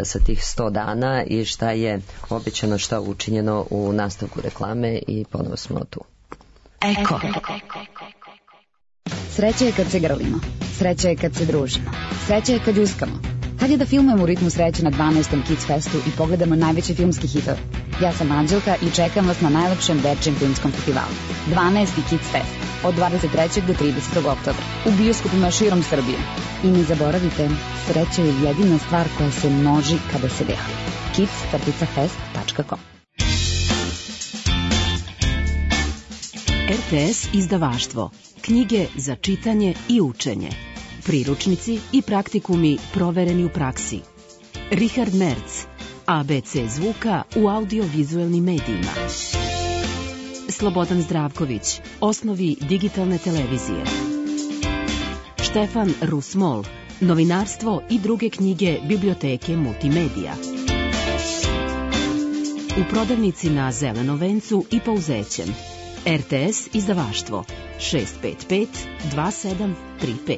sa tih 100 dana i šta je obećano, šta je učinjeno u nastavku reklame i ponovo smo tu. Eko. Sreća je kad se grlimo, sreća je kad se družimo, sreća je kad uskamo. Kad je da filmujemo u ritmu sreće na 12. Kids Festu i pogledamo najveći filmski hitove? Ja sam Anđelka i čekam vas na najlepšem dečijem filmskom festivalu. 12. Kids Fest od 23. do 30. oktobra u bioskopima širom Srbije. I ne zaboravite, sreća je jedina stvar koja se množi kada se deli. kids.fest.com RTS izdavaštvo. Knjige za čitanje i učenje. Priručnici i praktikumi provereni u praksi. Richard Merz, ABC zvuka u audiovizuelnim medijima. Slobodan Zdravković, osnovi digitalne televizije. Štefan Rusmol, novinarstvo i druge knjige biblioteke Multimedija. U prodavnici na Zelenom vencu i Pauzećem. RTS izdavaštvo 655 2735.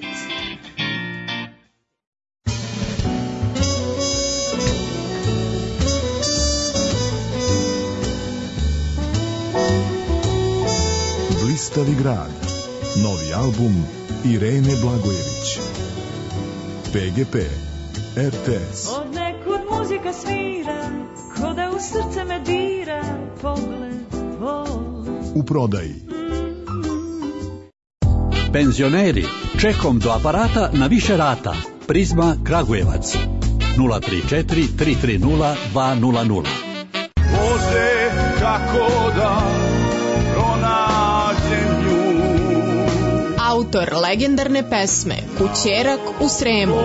Blistavi grad. Novi album Irene Blagojević. PGP RTS. Od nekud muzika svira, ko da u srce me dira pogled tvoj. U prodaji. Penzioneri, čekom do aparata na više rata. Prizma Kragujevac 034 330 200. Bože, kako da pronađem nju. Autor legendarne pesme Kućerak u Sremu.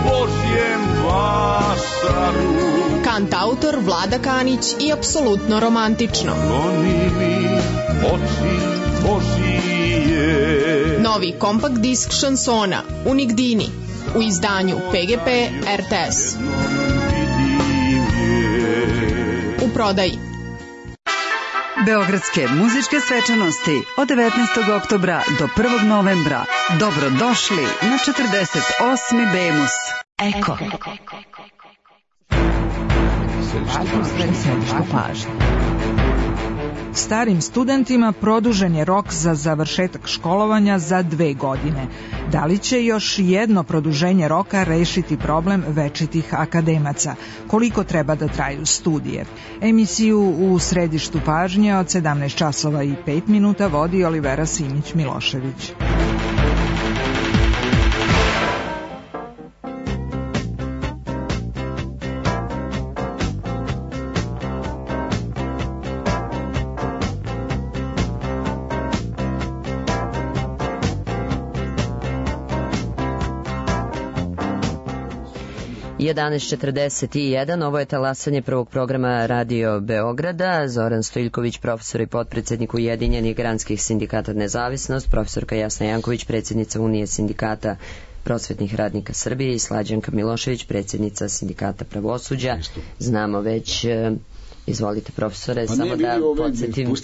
Božjem vasaru. Kantautor Vlada Kanić i apsolutno romantično. Goni mi oči Božije. Novi kompakt disk šansona Unigdini u izdanju PGP RTS. U prodaji. Beogradske muzičke svečanosti od 19. oktobra do 1. novembra. Dobrodošli na 48. Bemus. Eko. Središtu pažnje. Starim studentima produžen je rok za završetak školovanja za 2 godine. Da li će još jedno produženje roka rešiti problem večitih akademaca? Koliko treba da traju studije? Emisiju u središtu pažnje od 17 časova i 5 minuta vodi Olivera Simić-Milošević. I 11:41, ovo je talasanje prvog programa Radio Beograda. Zoran Stojiljković, profesor i potpredsednik Ujedinjenih granskih sindikata Nezavisnost, profesorka Jasna Janković, predsjednica Unije sindikata prosvetnih radnika Srbije i Slađanka Milošević, predsjednica sindikata pravosuđa. Znamo već, izvolite profesore, pa samo da podsjetim.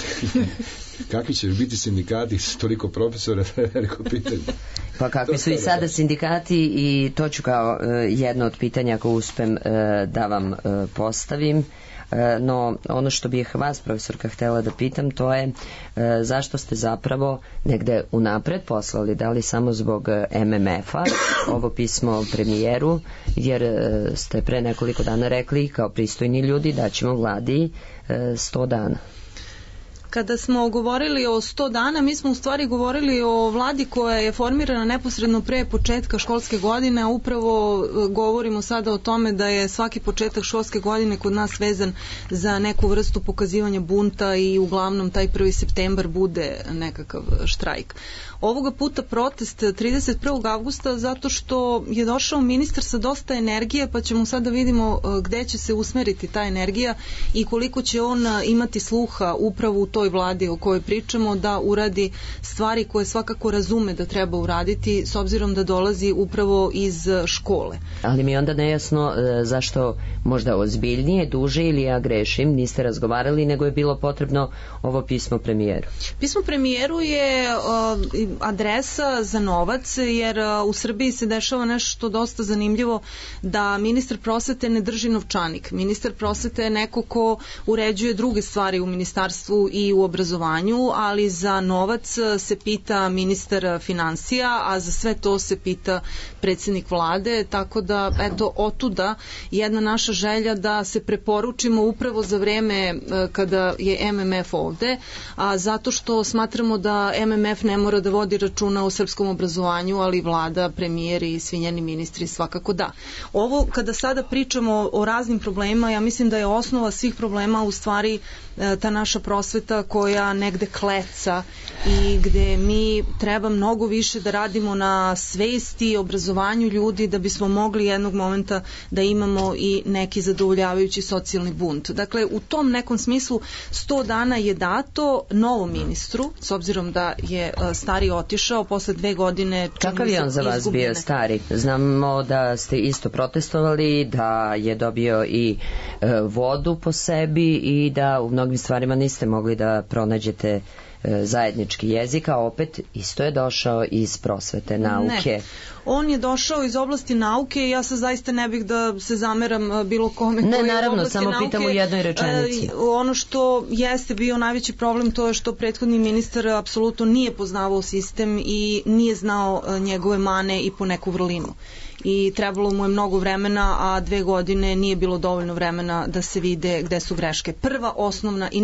Kakvi će biti sindikati s toliko profesora, to je veliko pitanje. Pa kakvi su i sada sindikati, i to ću kao jedno od pitanja ako uspem da vam postavim. No, ono što bih vas, profesorka, htjela da pitam, to je zašto ste zapravo negde unapred poslali, da li samo zbog MMF-a, ovo pismo premijeru, jer ste pre nekoliko dana rekli kao pristojni ljudi da ćemo vladi 100 dana. Kada smo govorili o 100 dana, mi smo u stvari govorili o vladi koja je formirana neposredno pre početka školske godine, a upravo govorimo sada o tome da je svaki početak školske godine kod nas vezan za neku vrstu pokazivanja bunta i uglavnom taj 1. septembar bude nekakav štrajk. Ovoga puta protest 31. avgusta zato što je došao ministar sa dosta energije, pa ćemo sada vidimo gde će se usmeriti ta energija i koliko će on imati sluha upravo u toj vladi o kojoj pričamo da uradi stvari koje svakako razume da treba uraditi s obzirom da dolazi upravo iz škole. Ali mi je onda nejasno zašto možda ozbiljnije, duže ili ja grešim, niste razgovarali, nego je bilo potrebno ovo pismo premijeru. Pismo premijeru je adresa za novac, jer u Srbiji se dešava nešto dosta zanimljivo, da ministar prosvete ne drži novčanik. Ministar prosvete je neko ko uređuje druge stvari u ministarstvu i u obrazovanju, ali za novac se pita ministar finansija, a za sve to se pita predsjednik vlade, tako da eto otuda jedna naša želja da se preporučimo upravo za vreme kada je MMF ovde, a zato što smatramo da MMF ne mora da vodi računa o srpskom obrazovanju, ali vlada, premijer i svi njeni ministri svakako da. Ovo kada sada pričamo o raznim problemima, ja mislim da je osnova svih problema u stvari ta naša prosveta politika koja negde kleca i gde mi treba mnogo više da radimo na svesti i obrazovanju ljudi da bismo mogli jednog momenta da imamo i neki zadovoljavajući socijalni bunt. Dakle, u tom nekom smislu 100 dana je dato novom ministru, s obzirom da je stari otišao posle 2 godine. Kakav je on za vas bio stari? Znamo da ste isto protestovali, da je dobio i vodu po sebi i da u mnogim stvarima niste mogli da pronađete zajednički jezik, a opet isto je došao iz prosvete, nauke. Ne. On je došao iz oblasti nauke i ja se zaista ne bih da se zameram bilo kome koji je u oblasti nauke. Ne, naravno, samo pitam u jednoj rečenici. Ono što jeste bio najveći problem, to je što prethodni ministar apsolutno nije poznavao sistem i nije znao njegove mane i po neku vrlinu. I trebalo mu je mnogo vremena, a 2 godine nije bilo dovoljno vremena da se vide gde su greške. Prva, osnovna i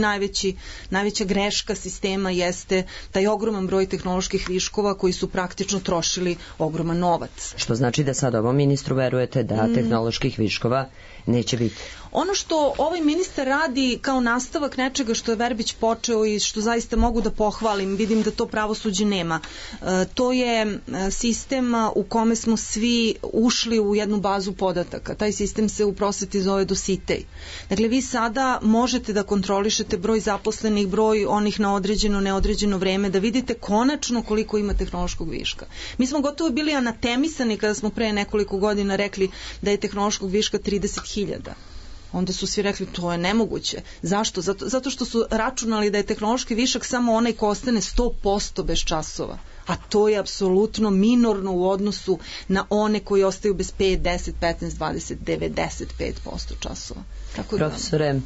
najveća greška sistema jeste taj ogroman broj tehnoloških viškova koji su praktično trošili ogroman novac. Što znači da sad ovom ministru verujete da tehnoloških viškova neće biti? Ono što ovaj ministar radi kao nastavak nečega što je Verbić počeo i što zaista mogu da pohvalim, vidim da to pravosuđe nema, to je sistem u kome smo svi ušli u jednu bazu podataka. Taj sistem se u prosveti zove Dositej. Dakle, vi sada možete da kontrolišete broj zaposlenih, broj onih na određeno, neodređeno vreme, da vidite konačno koliko ima tehnološkog viška. Mi smo gotovo bili anatemisani kada smo pre nekoliko godina rekli da je tehnološkog viška 30.000. Onda su svi rekli to je nemoguće. Zašto? Zato što su računali da je tehnološki višak samo onaj ko ostane 100% bez časova. A to je apsolutno minorno u odnosu na one koji ostaju bez 5, 10, 15, 20, 95% časova. Tako da... Profesore,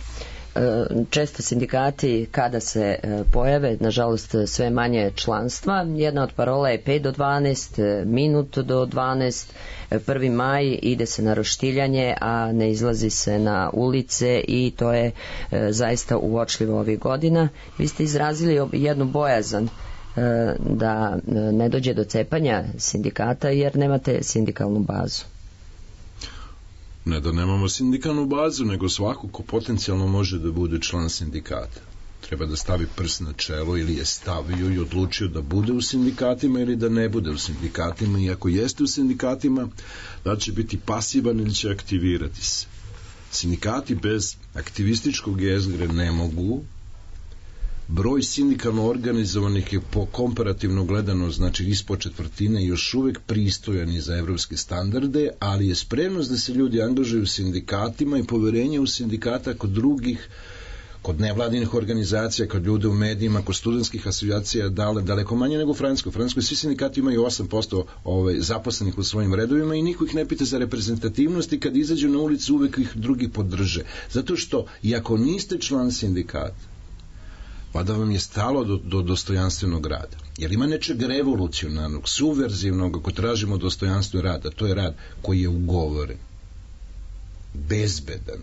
često sindikati kada se pojave, nažalost sve manje članstva, jedna od parola je 5 do 12, minut do 12, 1. maj, ide se na roštiljanje, a ne izlazi se na ulice i to je zaista uočljivo ovih godina. Vi ste izrazili jednu bojazan da ne dođe do cepanja sindikata jer nemate sindikalnu bazu. Ne da nemamo sindikalnu bazu, nego svako ko potencijalno može da bude član sindikata. Treba da stavi prst na čelo ili je stavio i odlučio da bude u sindikatima ili da ne bude u sindikatima i ako jeste u sindikatima, da će biti pasivan ili će aktivirati se. Sindikati bez aktivističkog jezgre ne mogu. Broj sindikalno organizovanih je po komparativno gledano, znači ispod četvrtine, još uvek pristojan i za evropske standarde, ali je spremnost da se ljudi angažuju u sindikatima i poverenje u sindikata kod drugih, kod nevladinih organizacija, kod ljude u medijima, kod studentskih asocijacija daleko manje nego u Francuskoj. U Francuskoj svi sindikati imaju 8% zaposlenih u svojim redovima i niko ih ne pita za reprezentativnost i kad izađu na ulicu uvek ih drugi podrže. Zato što, iako niste član sindikata, pa da vam je stalo do dostojanstvenog rada. Jer ima nečeg revolucionarnog, subverzivnog, ako tražimo dostojanstvo rada, to je rad koji je ugovoren, bezbedan,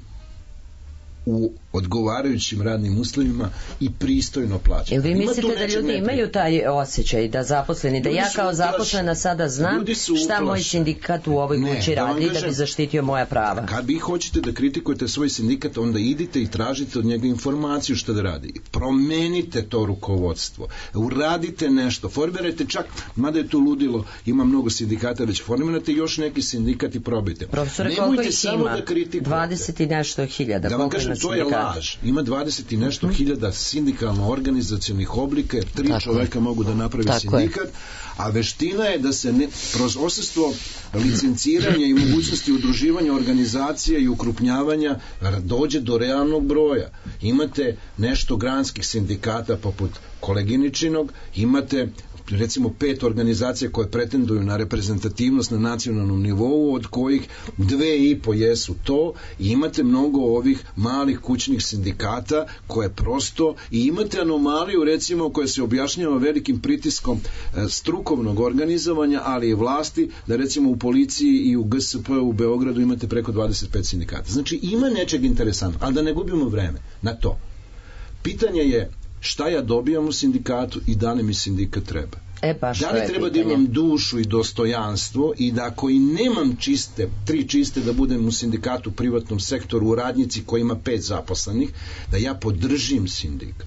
u odgovarajućim radnim uslovima i pristojno plaćen. Jel vi mislite da ljudi imaju taj osjećaj, da zaposleni, da ja kao zaposlena sada znam šta moj sindikat u ovoj kući radi da bi zaštitio moja prava? Kad vi hoćete da kritikujete svoj sindikat, onda idite i tražite od njega informaciju šta da radi. Promenite to rukovodstvo. Uradite nešto. Formirajte čak, mada je tu ludilo, ima mnogo sindikata, već formirajte još neki sindikat i probajte. Profesore, koliko ih ima? 20 i nešto hiljada. Da vam kažem, to je laž. Ima 20 i nešto hiljada sindikalno-organizacionih oblika, jer 3 čoveka mogu da napravi sindikat, a veština je da se kroz odsustvo licenciranja i mogućnosti udruživanja organizacija i ukrupnjavanja dođe do realnog broja. Imate nešto granskih sindikata poput koleginičinog, imate recimo 5 organizacija koje pretenduju na reprezentativnost na nacionalnom nivou, od kojih 2,5 jesu to, i imate mnogo ovih malih kućnih sindikata koje prosto, i imate anomaliju recimo koja se objašnjava velikim pritiskom strukovnog organizovanja, ali i vlasti, da recimo u policiji i u GSP u Beogradu imate preko 25 sindikata. Znači ima nečeg interesantno, ali da ne gubimo vreme na to. Pitanje je šta ja dobijam u sindikatu i da li mi sindikat treba. Da li treba da imam dušu i dostojanstvo i da ako i nemam 3 čiste da budem u sindikatu, u privatnom sektoru, u radnici koji ima 5 zaposlenih, da ja podržim sindikat.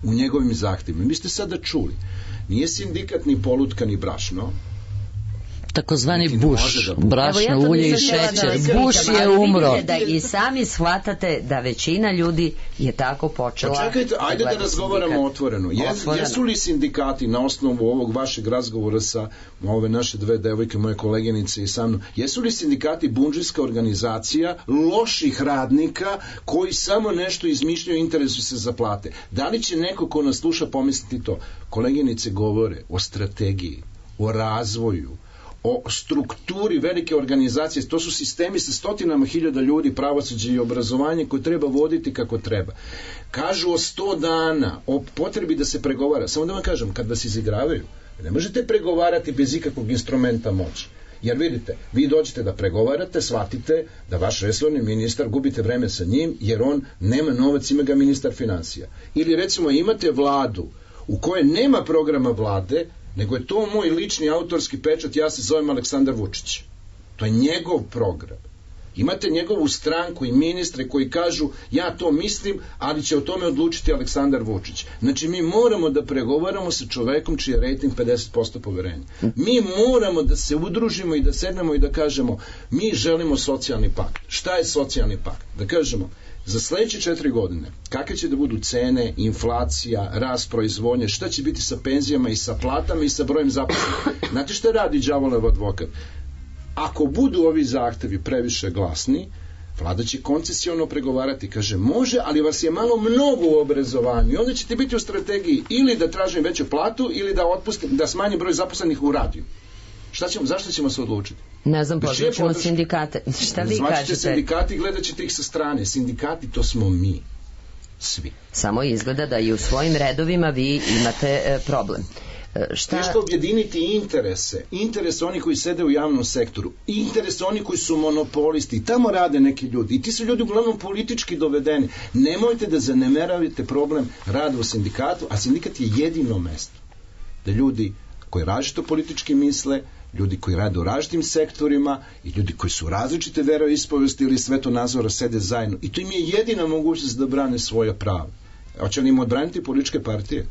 u njegovim zahtjevima. Vi ste sada čuli, nije sindikat ni polutka ni brašno, takozvani buš, brašno, ulje i šećer. Buš je umro. Ali da i sami shvatate da većina ljudi je tako počela. Pa čekajte, ajde da razgovaramo otvoreno. Jesu li sindikati na osnovu ovog vašeg razgovora sa ove naše dve devojke, moje koleginice i sa mnom, jesu li sindikati bundžijska organizacija loših radnika koji samo nešto izmišljaju i interesuju se za plate? Da li će neko ko nas sluša pomisliti to? Koleginice govore o strategiji, o razvoju, o strukturi velike organizacije, to su sistemi sa stotinama hiljada ljudi, pravosuđe i obrazovanje koje treba voditi kako treba. Kažu o 100 dana, o potrebi da se pregovara. Samo da vam kažem, kad vas izigravaju, ne možete pregovarati bez ikakvog instrumenta moći. Jer vidite, vi dođete da pregovarate, shvatite da vaš resorni ministar, gubite vreme sa njim, jer on nema novac, ima ga ministar financija. Ili recimo imate vladu u kojoj nema programa vlade, nego je to moj lični autorski pečat, ja se zovem Aleksandar Vučić. To je njegov program. Imate njegovu stranku i ministre koji kažu ja to mislim, ali će o tome odlučiti Aleksandar Vučić. Znači mi moramo da pregovaramo sa čovekom čiji je rejting 50% poverenja. Mi moramo da se udružimo i da sednemo i da kažemo mi želimo socijalni pakt. Šta je socijalni pakt? Da kažemo za sledeće 4 godine, kakve će da budu cene, inflacija, rast proizvodnje, šta će biti sa penzijama i sa platama i sa brojem zaposlenih. Znate šta radi đavolev advokat? Ako budu ovi zahtevi previše glasni, vlada će koncesiono pregovarati, kaže može, ali vas je malo mnogo u obrazovanju i onda ćete biti u strategiji ili da tražim veću platu ili da smanjim broj zaposlenih u radiju. Zašto ćemo se odlučiti? Ne znam, pozvat ćemo sindikate. Šta vi kažete? Zvaćete sindikati i gledat ćete ih sa strane. Sindikati, to smo mi. Svi. Samo izgleda da i u svojim redovima vi imate problem. Teško objediniti interese onih koji sede u javnom sektoru, interese onih koji su monopolisti, tamo rade neki ljudi i ti su ljudi uglavnom politički dovedeni. Nemojte da zanemeravate problem rada u sindikatu, a sindikat je jedino mesto da ljudi koji različito politički misle, ljudi koji rade u različitim sektorima i ljudi koji su različite veroispovesti ili svetonazora sede zajedno i to im je jedina mogućnost da brane svoja prava. Hoće li im odbraniti političke partije?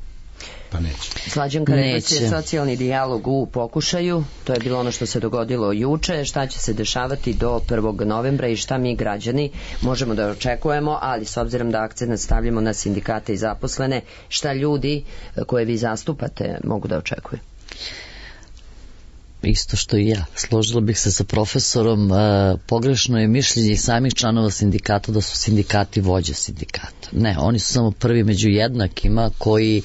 Pa neće. Slađanka, rekla si socijalni dijalog u pokušaju, to je bilo ono što se dogodilo juče, šta će se dešavati do 1. novembra i šta mi građani možemo da očekujemo, ali s obzirom da akcent stavljamo na sindikate i zaposlene, šta ljudi koje vi zastupate mogu da očekuju? Isto što i ja. Složila bih se sa profesorom, pogrešno je mišljenje samih članova sindikata da su sindikati vođe sindikata. Ne, oni su samo prvi među jednakima koji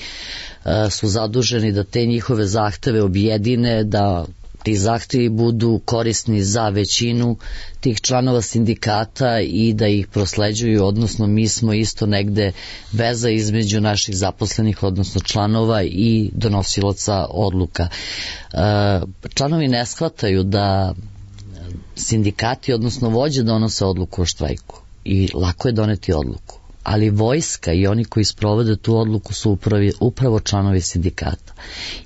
su zaduženi da te njihove zahteve objedine, da ti zahtevi budu korisni za većinu tih članova sindikata i da ih prosleđuju, odnosno mi smo isto negde veza između naših zaposlenih, odnosno članova i donosilaca odluka. Članovi ne shvataju da sindikati, odnosno vođe donose odluku o štrajku i lako je doneti odluku. Ali vojska i oni koji sprovode tu odluku su upravo članovi sindikata.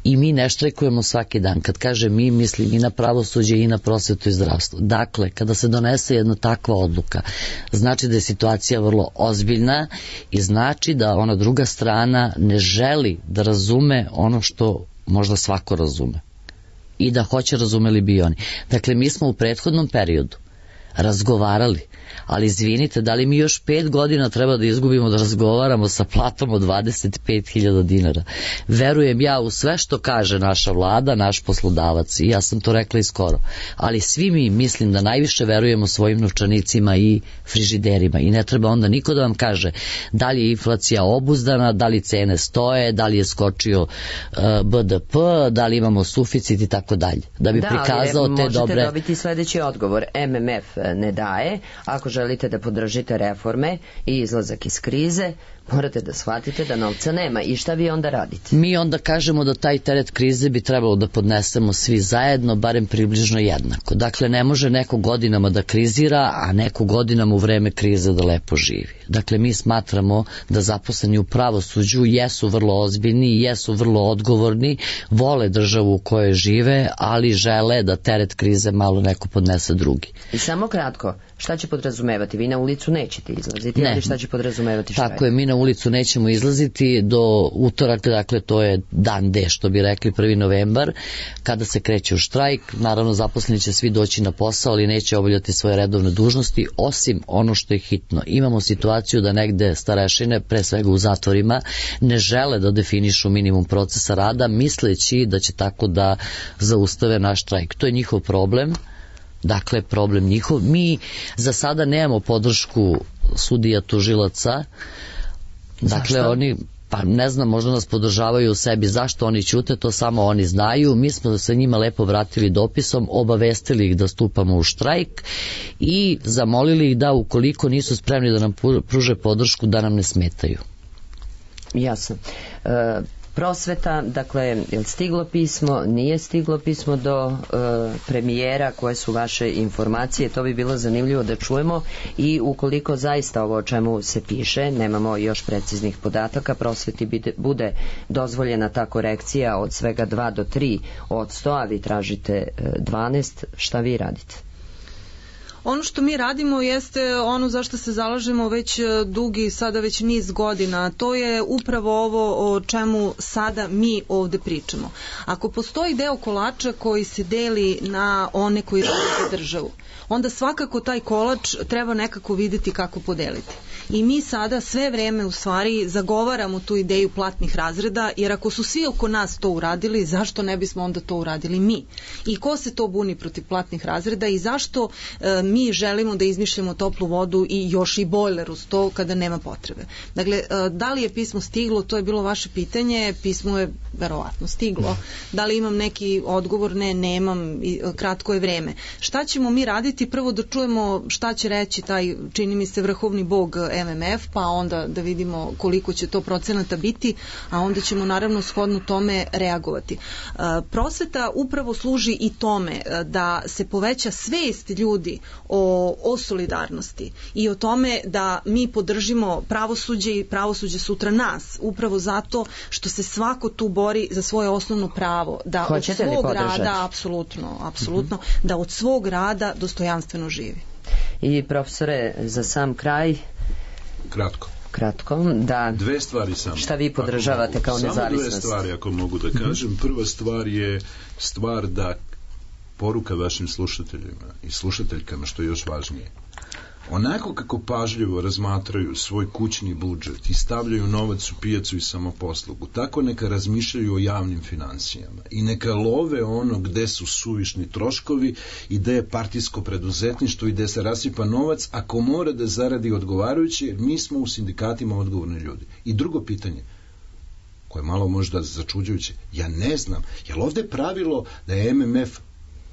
I mi ne štrajkujemo svaki dan. Kad kaže mi, mislim i na pravosuđe i na prosvetu i zdravstvo. Dakle, kada se donese jedna takva odluka, znači da je situacija vrlo ozbiljna i znači da ona druga strana ne želi da razume ono što možda svako razume. I da hoće, razumeli bi oni. Dakle, mi smo u prethodnom periodu razgovarali, ali izvinite, da li mi još 5 godina treba da izgubimo da razgovaramo sa platom od 25.000 dinara? Verujem ja u sve što kaže naša vlada, naš poslodavac, i ja sam to rekla i skoro, ali svi mi mislim da najviše verujemo svojim novčanicima i frižiderima i ne treba onda niko da vam kaže da li je inflacija obuzdana, da li cene stoje, da li je skočio BDP, da li imamo suficit i tako dalje, da bi prikazao te dobre... Da, ali možete dobiti sledeći odgovor. MMF ne daje, ako želite da podržite reforme i izlazak iz krize, morate da shvatite da novca nema. I šta vi onda radite? Mi onda kažemo da taj teret krize bi trebalo da podnesemo svi zajedno, barem približno jednako. Dakle, ne može neko godinama da krizira, a neko godinama u vreme krize da lepo živi. Dakle, mi smatramo da zaposleni u pravosuđu jesu vrlo ozbiljni, jesu vrlo odgovorni, vole državu u kojoj žive, ali žele da teret krize malo neko podnese drugi. I samo kratko, šta će podrazumevati? Vi na ulicu nećete izlaziti, ali šta će podrazumevati štrajk? Tako je, mi na na ulicu nećemo izlaziti do utorak, dakle to je dan D, što bi rekli, 1. novembar, kada se kreće u štrajk. Naravno, zaposleni će svi doći na posao, ali neće obavljati svoje redovne dužnosti, osim ono što je hitno. Imamo situaciju da negde starešine, pre svega u zatvorima, ne žele da definišu minimum procesa rada, misleći da će tako da zaustave naš štrajk. To je njihov problem. Dakle, problem njihov. Mi za sada nemamo podršku sudija, tužilaca. Dakle, zašto? Oni, pa ne znam, možda nas podržavaju u sebi. Zašto oni ćute, to samo oni znaju. Mi smo se njima lepo vratili dopisom, obavestili ih da stupamo u štrajk i zamolili ih da, ukoliko nisu spremni da nam pruže podršku, da nam ne smetaju. Jasno. Prosveta, dakle, je li stiglo pismo, nije stiglo pismo do premijera, koje su vaše informacije, to bi bilo zanimljivo da čujemo, i ukoliko zaista ovo o čemu se piše, nemamo još preciznih podataka, prosveti bude dozvoljena ta korekcija od svega 2 do 3%, a vi tražite 12%, šta vi radite? Ono što mi radimo jeste ono za što se zalažemo već dugi, sada već niz godina. To je upravo ovo o čemu sada mi ovde pričamo. Ako postoji deo kolača koji se deli na one koji rade za državu, onda svakako taj kolač treba nekako videti kako podeliti. I mi sada sve vreme u stvari zagovaramo tu ideju platnih razreda, jer ako su svi oko nas to uradili, zašto ne bismo onda to uradili mi? I ko se to buni protiv platnih razreda i zašto mi želimo da izmišljamo toplu vodu i još i bojler uz to kada nema potrebe? Dakle, da li je pismo stiglo, to je bilo vaše pitanje, pismo je verovatno stiglo. Da li imam neki odgovor? Ne, nemam, kratko je vreme. Šta ćemo mi raditi? Prvo da čujemo šta će reći taj, čini mi se, vrhovni bog MMF, pa onda da vidimo koliko će to procenata biti, a onda ćemo naravno shodno tome reagovati. Prosveta upravo služi i tome da se poveća svest ljudi o solidarnosti i o tome da mi podržimo pravosuđe i pravosuđe sutra nas, upravo zato što se svako tu bori za svoje osnovno pravo, da hoćete od svog rada, apsolutno, da od svog rada dostojanstveno živi. I profesore, za sam kraj, kratko, da. 2 stvari samo. Šta vi podržavate kao nezavisnost? Samo 2 stvari, ako mogu da kažem. Prva stvar je stvar da poruka vašim slušateljima i slušateljkama, što je još važnije. Onako kako pažljivo razmatraju svoj kućni budžet i stavljaju novac u pijacu i samoposlugu, tako neka razmišljaju o javnim financijama i neka love ono gde su suvišni troškovi i gde je partijsko preduzetništvo i gde se rasipa novac, ako mora da zaradi odgovarajuće, jer mi smo u sindikatima odgovorni ljudi. I drugo pitanje, koje je malo možda začuđujuće, ja ne znam, je li ovde pravilo da je MMF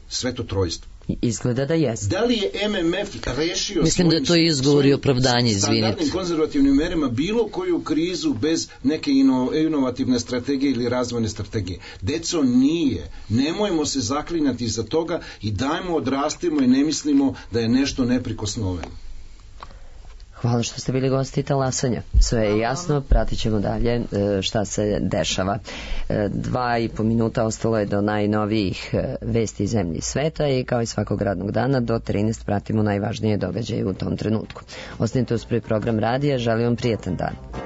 sveto trojstvo? Izgleda da jeste. Da li je MMF rešio mislim da je to izgovor i opravdanje, izvinite, standardnim konzervativnim merama bilo koju krizu bez neke inovativne strategije ili razvojne strategije? Deco, nije. Nemojmo se zaklinjati za toga i dajmo, odrastimo i ne mislimo da je nešto neprikosnoveno. Hvala što ste bili gosti Talasanja. Sve je jasno, pratit ćemo dalje šta se dešava. 2,5 minuta ostalo je do najnovijih vesti zemlji i sveta i kao i svakog radnog dana do 13 pratimo najvažnije događaje u tom trenutku. Ostanite uz prvi program radija, želim vam prijetan dan.